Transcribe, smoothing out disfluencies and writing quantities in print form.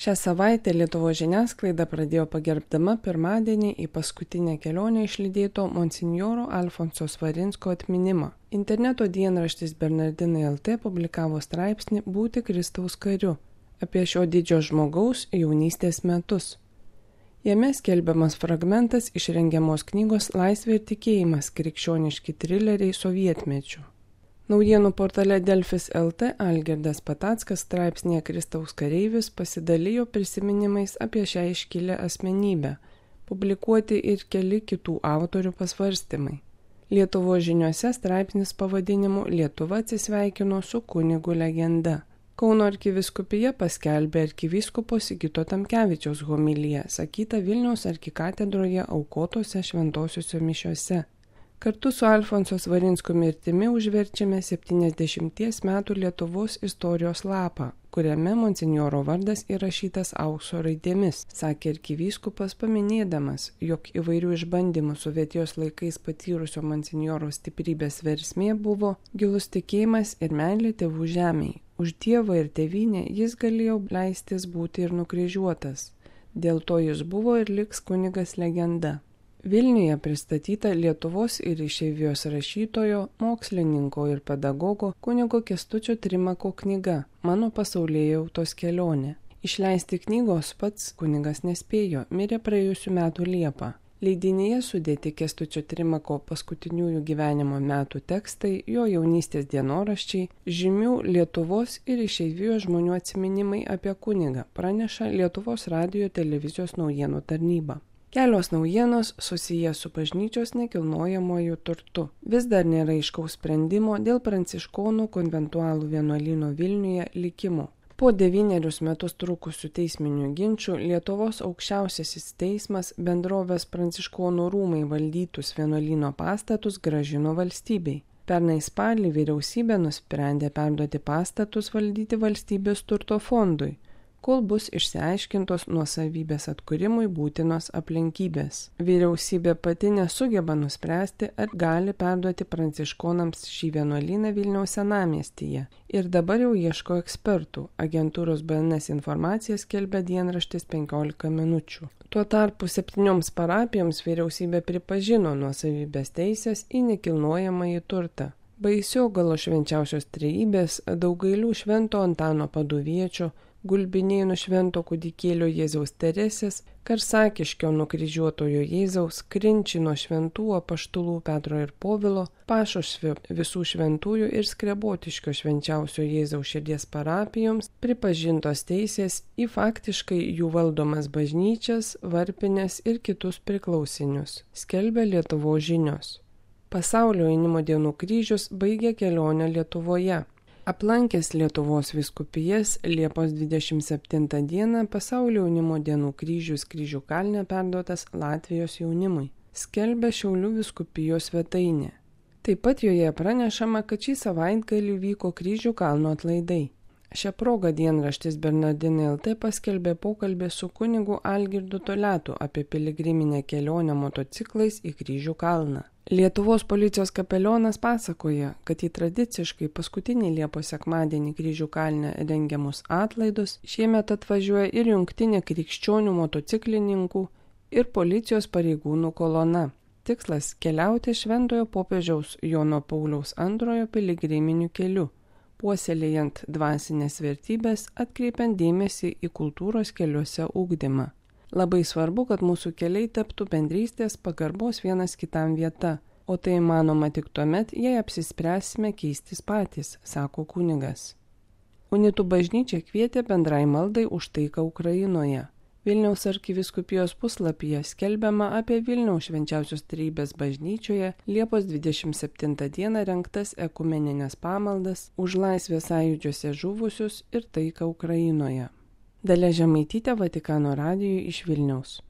Šią savaitę Lietuvos žiniasklaida pradėjo pagerbdama pirmadienį į paskutinę kelionę išlydėto monsinjoro Alfonso Svarinsko atminimą. Interneto dienraštis Bernardinai LT publikavo straipsnį Būti Kristaus kariu apie šio didžio žmogaus jaunystės metus. Jame skelbiamas fragmentas iš rengiamos knygos Laisvė ir tikėjimas – krikščioniški trileriai sovietmečiu. Naujienų portale Delfis LT Algirdas Patackas straipsnėje Kristaus kareivis pasidalijo prisiminimais apie šią iškilę asmenybę, publikuoti ir keli kitų autorių pasvarstymai. Lietuvos žiniose straipsnis pavadinimu Lietuva atsisveikino su kunigu legenda. Kauno arkivyskupija paskelbė arkivyskupo Sigito Tamkevičiaus homiliją, sakytą Vilniaus arkikatedroje aukotose šventosiuose mišiose. Kartu su Alfonso Svarinsko mirtimi užverčiame 70 metų Lietuvos istorijos lapą, kuriame monsinjoro vardas įrašytas aukso raidėmis, sakė arkivyskupas paminėdamas, jog įvairių išbandymų sovietijos laikais patyrusio monsinjoro stiprybės versmė buvo gilus tikėjimas ir meilė tėvų žemei. Už Dievą ir tėvynę jis galėjo leistis būti ir nukryžiuotas. Dėl to jis buvo ir liks kunigas legenda. Vilniuje pristatyta Lietuvos ir išeivijos rašytojo, mokslininko ir pedagogo kunigo Kęstučio Trimako knyga Mano pasaulėjautos kelionė. Išleisti knygos pats kunigas nespėjo, mirė praėjusių metų Liepą. Leidinyje sudėti Kęstučio Trimako paskutiniųjų gyvenimo metų tekstai, jo jaunystės dienoraščiai, žymių Lietuvos ir išeivijos žmonių atsiminimai apie kunigą, praneša Lietuvos radijo televizijos naujienų tarnyba. Kelios naujienos susijęs su bažnyčios nekilnojamuoju turtu. Vis dar nėra aiškaus sprendimo dėl pranciškonų konventualų vienuolyno Vilniuje likimo. Po 9 metus trukusių teisminių ginčų Lietuvos aukščiausiasis teismas bendrovės Pranciškonų rūmai valdytus vienuolyno pastatus grąžino valstybei. Pernai spalį vyriausybė nusprendė perduoti pastatus valdyti valstybės turto fondui, kol bus išsiaiškintos nuosavybės atkūrimui būtinos aplinkybės. Vyriausybė pati nesugeba nuspręsti, ar gali perduoti pranciškonams šį vienuolyną Vilniaus senamiestyje ir dabar jau ieško ekspertų. Agentūros BNS informaciją skelbia dienraštis 15 minučių. Tuo tarpu 7 parapijoms vyriausybė pripažino nuosavybės teisės į nekilnojamąjį turtą. Baisiogalo švenčiausios trejybės, Daugailių švento Antano Paduviečio, Gulbinėnų švento kūdikėlio Jėzaus Teresės, Karsakiškio nukryžiuotojo Jėzaus, Krinčino šventų apaštalų Petro ir Povilo, Pašošvio visų šventųjų ir Skrebotiškio švenčiausio Jėzaus širdies parapijoms pripažintos teisės į faktiškai jų valdomas bažnyčias, varpines ir kitus priklausinius, skelbia Lietuvos žinios. Pasaulio jaunimo dienų kryžius baigė kelionę Lietuvoje. Aplankęs Lietuvos vyskupijas Liepos 27 dieną Pasaulio jaunimo dienų kryžius Kryžių kalne perduotas Latvijos jaunimui, skelbia Šiaulių vyskupijos svetainė. Taip pat joje pranešama, kad šį savaitgalį vyko Kryžių kalno atlaidai. Šią progą dienraštis Bernardinai LT paskelbė pokalbį su kunigu Algirdu Toletu apie piligriminę kelionę motociklais į Kryžių kalną. Lietuvos policijos kapelionas pasakoja, kad į tradiciškai paskutinį Liepos sekmadienį Kryžių kalne rengiamus atlaidus šiemet atvažiuoja ir jungtinė krikščionių motociklininkų ir policijos pareigūnų kolona. Tikslas – keliauti Šventojo popiežiaus Jono Pauliaus II piligriminiu keliu, puoselėjant dvasinės vertybės, atkreipiant dėmesį į kultūros keliuose ugdymą. Labai svarbu, kad mūsų keliai taptų bendrystės pagarbos vienas kitam vieta, o tai įmanoma tik tuomet, jei apsispręsime keistis patys, sako kunigas. Unitų bažnyčia kvietė bendrai maldai už taiką Ukrainoje. Vilniaus arkivyskupijos puslapyje skelbiama apie Vilniaus švenčiausios trejybės bažnyčioje Liepos 27 dieną rengtas ekumeninės pamaldas už laisvės sąjūdžiuose žuvusius ir taiką Ukrainoje. Dalia Žemaitytė, Vatikano radijui iš Vilniaus.